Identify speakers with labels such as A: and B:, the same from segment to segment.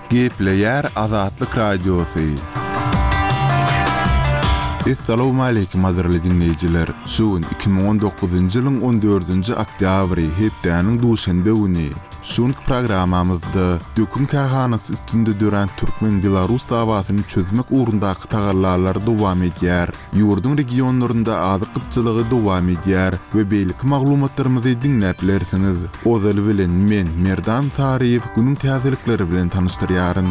A: Gepleýär Azatlyk Radiosy. Essalawmaleýkim gadyrly diňleýjiler! Şu gün 2019-njy ýylyň on dördünji oktýabry, hepdäniň duşenbe güni. Şu günki programmamyzda dökün kärhanasy üstünde dörän türkmen-belarus dawasyny çözmek ugrundaky tagallalar dowam edýär. Ýurduň regionlarynda azyk gytçylygy dowam edýär we beýleki maglumatlarymyzy diňläp bilersiňiz. Ozaly bilen men, Merdan Saryýew günüň täzelikleri bilen tanyşdyrýaryn.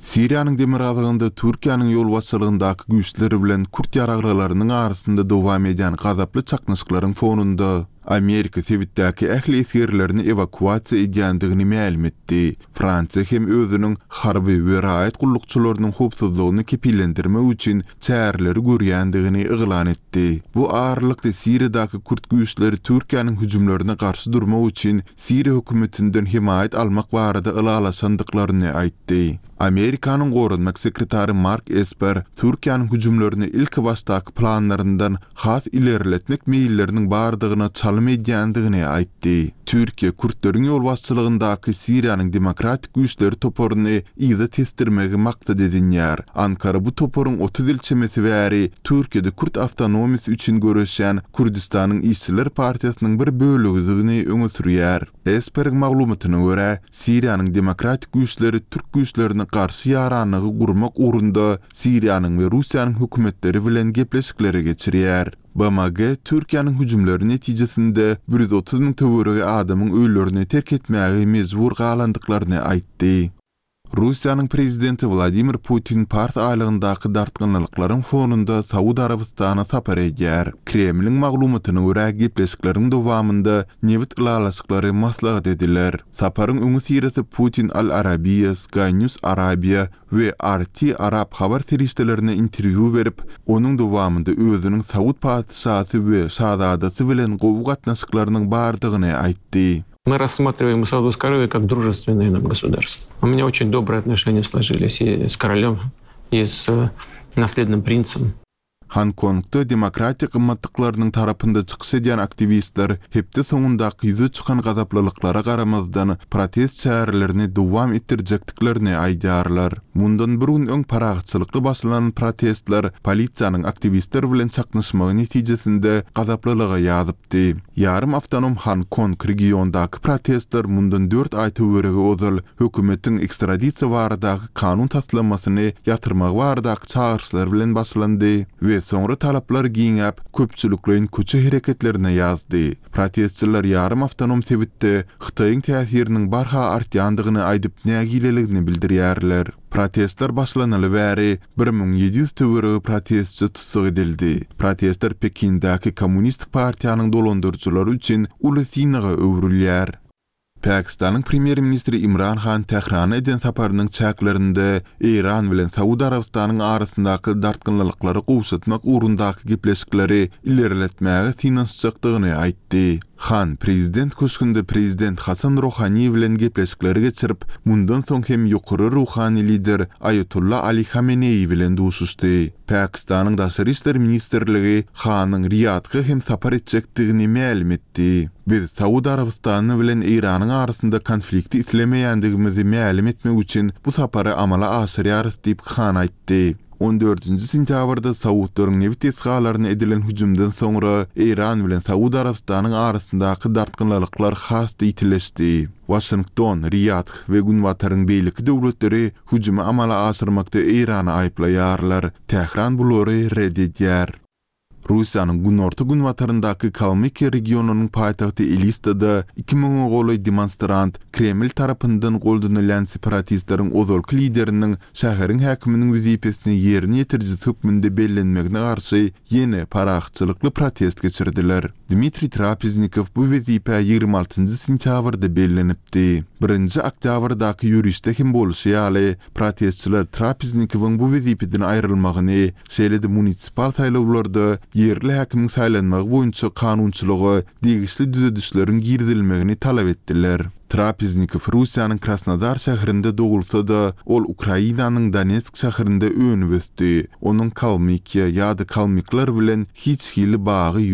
A: Siriýanyň demirgazygynda Türkiýäniň ýolbaşçylygyndaky güýçler bilen kürt ýaraglylarynyň arasynda dowam edýän gazaply çaknyşyklaryň fonunda, Amerika sebitdäki ähli esgerlerini ewakuasiýa edýändigini mälim etdi. Fransiýa hem özüniň harby we raýat gullukçylarynyň howpsuzlygyny kepillendirmek üçin çäreleri görýändigini yglan etdi. Bu aralykda Siriýadaky kürt güýçleri Türkiýäniň hüjümlerine garşy durmak üçin Siriýa hökümetinden hemaýat almak barada ylalaşandyklaryny aýtdy. Amerikanyň goranmak sekretary Mark Esper Türkiýäniň hüjümlerini ilkibaşdaky planlaryndan has ilerletmek meýilleriniň bardygyna çalym edýändigini aýtdy. Türkiýe kürtleriň ýolbaşçylygyndaky Siriýanyň Demokratik güýçleri toparyny yza tesdirmegi maksat edinýär. Ankara bu toparyň 30 ýyl çemesi bäri Türkiýede kürt awtonomiýasy üçin göreşýän Kürdüstanyň işçiler partiýasynyň bir bölegidigini öňe sürýär. Esperiň maglumatyna görä, Siriýanyň demokratik güýçleri türk güýçlerine garşy ýaranlygy gurmak ugrunda Siriýanyň we Russiýanyň hökümetleri bilen gepleşikleri geçirýär. BMG Türkiýäniň hüjümleri netijesinde 130 müň töweregi adamyň öýlerini terk etmäge mejbur galandyklaryny aýtdy. Russiýanyň prezidenti Wladimir Putin Pars aýlagyndaky dartgynlylyklaryň fonunda Saud Arabystana sapar edýär. Kremliň maglumatyna görä, gepleşikleriň dowamynda nebit ylalaşyklary maslahat ediler. Saparyň öňüsyrasy Putin Al Arabiya, Sky News Arabia we RT arap habar serişdelerine interwýu berip, onuň dowamynda özüniň saud patyşasy we şazadasy bilen gowy gatnaşyklarynyň bardygyny aýtdy.
B: Мы рассматриваем Саудовскую Аравию как дружественное нам государство. У меня очень добрые отношения сложились и с королем, и с э, наследным принцем.
A: Honkongda demokratiýa gymmatlyklarynyň tarapynda çykyş edýän aktiwistler hepde soňundaky ýüze çykan gazaplylyklara garamazdan, protest çärelerini dowam etdirjekdiklerini aýdýarlar. Mundan bir gün öň parahatçylykly başlanan protestler polisiýanyň aktiwistler bilen çaknyşmagy netijesinde gazaplylyga ýazypdy. Di. Ýarym awtonom Honkong regiondaky protestler mundan dört aý töweregi ozal hökümetiň ekstradisiýa baradaky kanun taslamasyny ýatyrmagy baradaky çagyryşlar bilen başlandy we soňra talaplar giňäp, köpçülikleýin köçe hereketlerine ýazdy. Protestçiler ýarym awtonom sebitde Hytaýyň täsiriniň barha artýandygyny aýdyp nägileligini bildirýärler. Protestler başlanaly bäri 1700 töweregi protestçi tussag edildi. Protestler Pekindäki Kommunistik partiýanyň dolandyryjylary üçin uly synaga öwrülýär. Pakistanyň premýer-ministri Imran Han Tährana eden saparynyň çäklerinde Eýran bilen Saud Arabystanyň arasyndaky dartgynlylyklary gowşatmak ugrundaky gepleşikleri ilerletmäge synanyşjakdygyny aýtdy. Han prezident köşgünde prezident Hasan Rohani bilen gepleşikleri geçirip, mundan soň hem ýokary ruhany lider Aýatolla Ali Hameneýi bilen duşuşdy. Pakistanyň Daşary işler ministrligi Hanyň Riýadga hem sapar etjekdigini mälim etdi. Biz Saud Arabystany bilen Eýranyň arasynda konflikti islemeýändigimizi mälim etmek üçin bu sapary amala aşyrýarys diýip Han aýtdy. On dördünji sentýabrda saudlaryň nebit desgalaryna edilen hüjümden soňra Eýran bilen Saud Arabystanyň arasyndaky dartgynlylyklar has-da ýitileşdi. Waşington, Riýadh we Günbataryň beýleki döwletleri hüjümi amala aşyrmakda Eýrany aýyplaýarlar. Tähran bulary ret edýär. Russiýanyň günorta-günbataryndaky Kalmykiýa regionynyň paýtagty Elistada iki müňe golaý demonstrant Kreml tarapyndan goldanylýan separatistleriň ozalky lideriniň şäheriň häkiminiň wezipesini ýerine ýetirijisi hökmünde bellenmegine garşy ýene parahatçylykly protest geçirdiler. Dmitriý Trapeznikow bu wezipä 26 sentýabrda bellenipdi. Birinji oktýabrdaky ýörişde hem bolşy ýaly, protestçiler Trapeznikowyň bu wezipeden aýrylmagyny, şeýle-de munisipal saýlawlarda ýerli häkimiň saýlanmagy boýunça kanunçylyga degişli düzedişleriň girizilmegini talap etdiler. Trapeznikow Russiýanyň Krasnodar şäherinde dogulsa-da, ol Ukrainanyň Donetsk şäherinde önüp-ösdi. Onuň Kalmykiýa ýa-da kalmyklar bilen hiç hili bagy ýok.